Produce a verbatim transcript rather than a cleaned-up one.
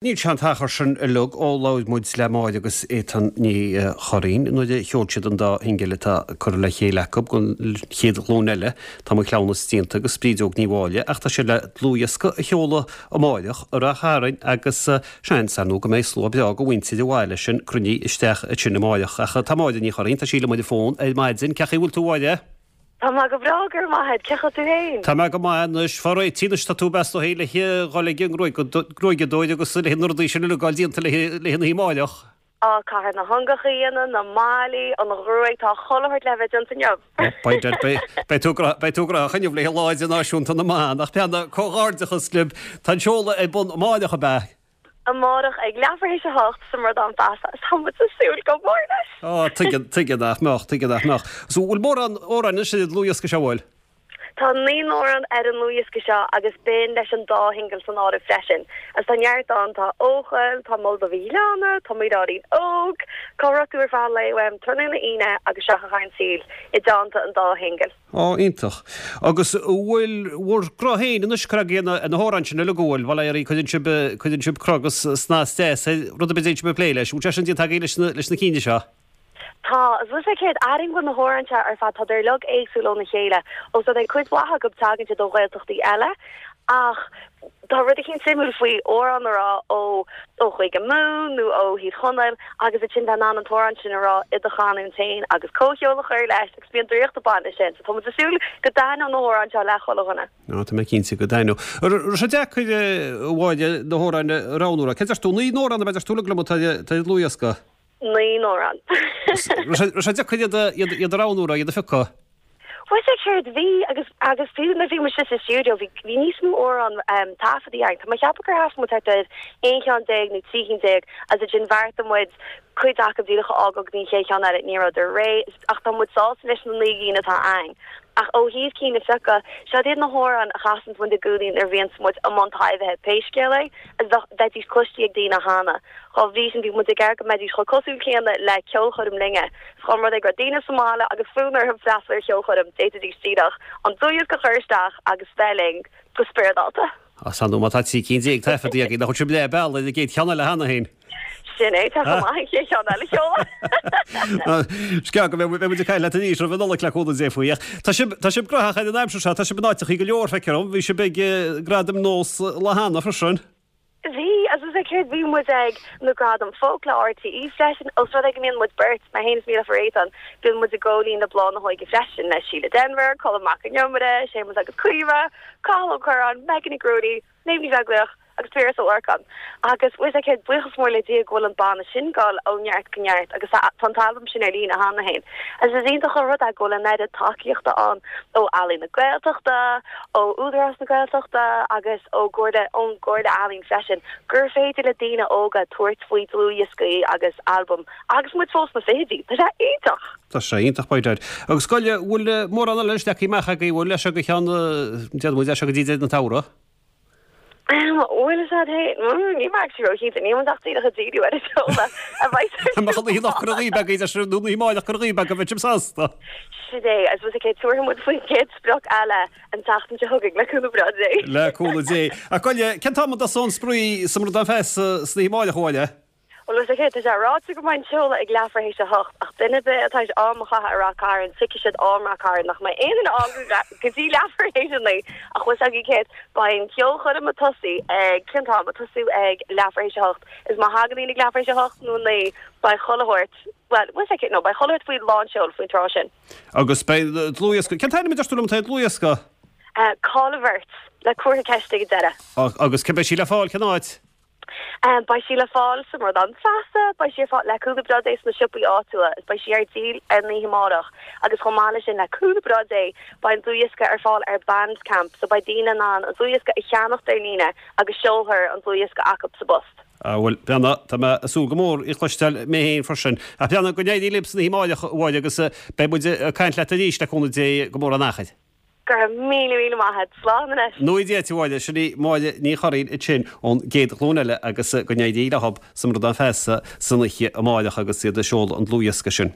Níl sé an t-achar sin uilig ó labhair muid le Máire agus Étáin Ní Churraoin nuair a sheol siad an dá shingil atá curtha le chéile acu don chéad ghlúin eile, Tá mo chleamhnas déanta agus Brídeog Ní Mháille, ach tá siad le dlúthdhiosca a sheoladh amáireach i Rath Chairn agus seans, ar ndóigh, go mbeidh slua breá de mhuintir an bhaile sin cruinnithe isteach ansin amáireach. Ach tá Máire Ní Churraoin, tá sí liom ar an bhfón ar maidin. Cén chaoi a bhfuil tú, a Mháire? Tá mé go breá, go raibh maith agat. Cén chaoi tú féin? Tá mé go maith anois. Fá réitigh anois tá tú is dóigh le dhul ag an ngruaigeadóir agus le na rudaí sin uilig a fháil déanta le an oíche amáireach. Á, caithfear na hungacha a dhéanamh, na maillí, an ghruaig, tá chuile shórt le bheith déanta inniu. Beidh, beidh tú beidh tú gnóthach inniu le Lá Idirnáisiúnta na mBan. Ach Beanna, comhghairdeachas libh. Tá an seoladh ar bun amáireach ab ea? Amárach ag leathuair théis a hocht sa mBradán Feasa is tá muid ag súil go mór leis! Á, tuigeann, tuigeann nach mbeadh, tuigeann nach mbeadh. So, bhfuil mórán amhrán anois ar an dlúthdhiosca seo, bhfuil? Tá naoi n-amhrán ar an ndlúthdhiosca seo agus b'in leis an dá shingil san áireamh freisin. Agus tá neart ann, tá Eochaill, tá Moladh do Mhíleána, tá Mo Dháidín Óg, Cá Raibh Tú ar Feadh an Lae Uaim, Tráthnóna Aoine agus Seo Chugainn an Saol, i dteannta an dá shingil. Á, iontach. Agus an bhfuil bhur gcruth féin anois curtha agaibh ar na hamhráin sin uilig, an bhfuil? Bhuel, éirí, cuireann sibh, cuireann sibh cruth agus snas deas ar rud ar bith a dtéann sibh ag plé leis. An bhfuil sé sin déanta agaibh leis na, leis na cinn seo? Tá. Is bhfuil sé céard, airím go bhfuil na hamhráin seo ar fad, tá siad uilig éagsúil óna chéile. Ós rud é cuid mhaith acu tagann siad ó Ghaeltachtaí eile ach tá rud eicínt suimiúil faoi amhrán a rá ó ó Chúige Mumhan nó ó Thír Chonaill agus ansin bheith in ann an t-amhrán sin a rá i do chanúint féin agus comhcheol a chur leis agus bíonn draíocht ag baint leis sin. So tá muid ag súil go dtaitneoidh na hamhráin seo le chuile dhuine. Á, tá mé cinnte go dtaitneoidh. An raibh sé deacair, a Mháire, na hamhráin a roghnú? Cé deir tú? Naoi n-amhrán ab ea deir tú uilig liom atá ar an dlúthdhiosca? Naoi n-amhrán. Raibh sé deacair iad a roghnú, iad a phiocadh? Bhuel sé céard bhí agus agus fiú nuair a bhí muid sa stiúideo bhí bhí níos mó amhrán um, taifeadta againn. Tá mé ag ceapadh gur thaifead muid thart ar aon cheann déag nó trí cinn déag agus ansin bheartaigh muid cuid acu díreach a fhágáil go dtí an chéad cheann eile, ní rabhadar réidh ach tá muid sásta leis na naoi gcinn atá againn. Ach ó thaobh cinn a phiocadh, siod iad na hamhráin a chasanns muid i gcónaí nuair a bhíonns muid i mbun taibhithe, pé scéal é, agus bheadh bheidís cloistí ag daoine cheana. Dhá bhrí sin bhí muid ag iarraidh go mbeidís chomh cosúil céanna le ceolchoirm linne. Is dá mba rud é go raibh daoine sa mbaile agus fonn orthu freastal ar cheolchoirm, d'fhéadfaidís díreach an dlúthdhiosca a chur isteach agus bheith linn go spioradálta. Is ar ndóigh má tá trí cinn déag taifeadta agaibh, nach bhfuil sibh leath bealaigh ar an gcéad cheann eile cheana féin? Sin é, tá chomh maith an chéad cheann eile a sheoladh. Is gearr go mbeidh muid ag caint leat arís roimh an Nollaig le cúnamh Dé faoi. Ach tá sibh, tá sibh gnóthach ar an aimsir seo, tá sibh in áiteachaí go leor, feictear dom. Bhí sibh ag Gradaim Nós lá cheana freisin. Bhí, agus is é céard, bhí muid ag na Gradaim Folk le RTÉ freisin, ós rud é go mbíonn muid beirt, mé féin is Mícheál Ó Réatáin, bíonn muid i gCóilín le Bláth na hÓige freisin, le Síle Denvir, Colm Mac Con Iomaire, Séamus agus Caoimhe, Cathal Ó Curráin, Megan Nic Ruairí, Méabh Ní Bheaglaoich agus Piaras Ó Lorcáin. Agus is é céard, buíochas mór le Dia go bhfuil an banna sin ag dul ó neart go neart agus tá an t-albam sin ar líne cheana féin. Agus is iontach an rud é go bhfuil an oiread tacaíochta ann ó Ealaín na Gaeltachta, ó Údarás na Gaeltachta agus ó gComhairle, ón gComhairle Ealaíon freisin, gur féidir le daoine óga tabhairt faoi dlúthdhioscaí agus albaim agus muid fós sna fichidí. Tá sé iontach! Tá sé iontach, by dad. Agus gabh i leith, bhfuil mórán eile leagtha amach agaibh, bhfuil, leis seo go ceann, déarfaidh muid, as seo go dtí deireadh an tsamhraidh? Bhuel, is ea, níl mé actually róchinnte, níl muid ach díreach ag díriú ar an seoladh a bheidh ar siúl. Mbeadh an oíche anocht curtha dhaoibh agaibh, deir sibh, nó an oíche amárach curtha dhaoibh agaibh, bheadh sibh sásta. Sin é, I suppose, okay, tabharfaidh muid faoin gcéad sprioc eile an tseachtain seo chugainn, le cúnamh breá Dé. Le cúnamh Dé. Ach gabh i leith, cén t-am a dtosóidh an spraoi sa mBradán Feasa san oíche amárach, a Mháire? Bhuel, is é, tá sé ráite go mbeidh an seoladh ag leathuair théis a hocht, ach duine ar bith atá théis am a chaitheamh i Rath Cairn, tuigfidh siad am Rath Cairn nach mbeidh aon duine ann go dtí leathuair théis a naoi. Ach bhfuil 's agaibh céard, beidh an cheolchoirm ag tosú ag, cén t-am? Ag tosú ag leathuair théis a hocht. Is má thagann daoine ag leathuair théis a hocht nó a naoi, beidh chuile shórt, bhuel, bhfuil 's agaibh, no, beidh chuile shórt faoi lánseol faoin tráth sin. Agus beidh dlúthdhiosca, cén t-ainm a deir tú liom atá ar an dlúthdhiosca? Cá le Bheirt, le comhartha ceiste ag an deireadh. Agus cá mbeidh sí le fáil, cén áit? Beidh sí le fáil sa mBradán Feasa, beidh sí ar fáil le cúnamh breá Dé sna siopaí áitiúla is beidh sí ar díol ar an oíche amárach agus chomh maith leis sin le cúnamh breá Dé beidh an dlúthdhiosca ar fáil ar Bandcamp so beidh daoine in ann an dlúthdhiosca a cheannacht ar líne agus seolfar an dlúthdhiosca acu sa bpost. Ah bhuel, Beanna, tá mé ag súil go mór í a chloisteáil mé féin freisin. Ach Beanna, go n-éirí libh san oíche amárach, a Mháire, agus beidh muid ag caint leat arís le cúnamh Dé go mór an achair. Go raibh míle míle maith agat. Slán anois. Nua Dia duit, a Mháire. Sin í Máire Ní Churraoin ansin ón gcéad ghlúin eile agus go n-éirí leob sa mBradán Feasa san oíche amárach agus iad ag seoladh an dlúthdhiosca sin.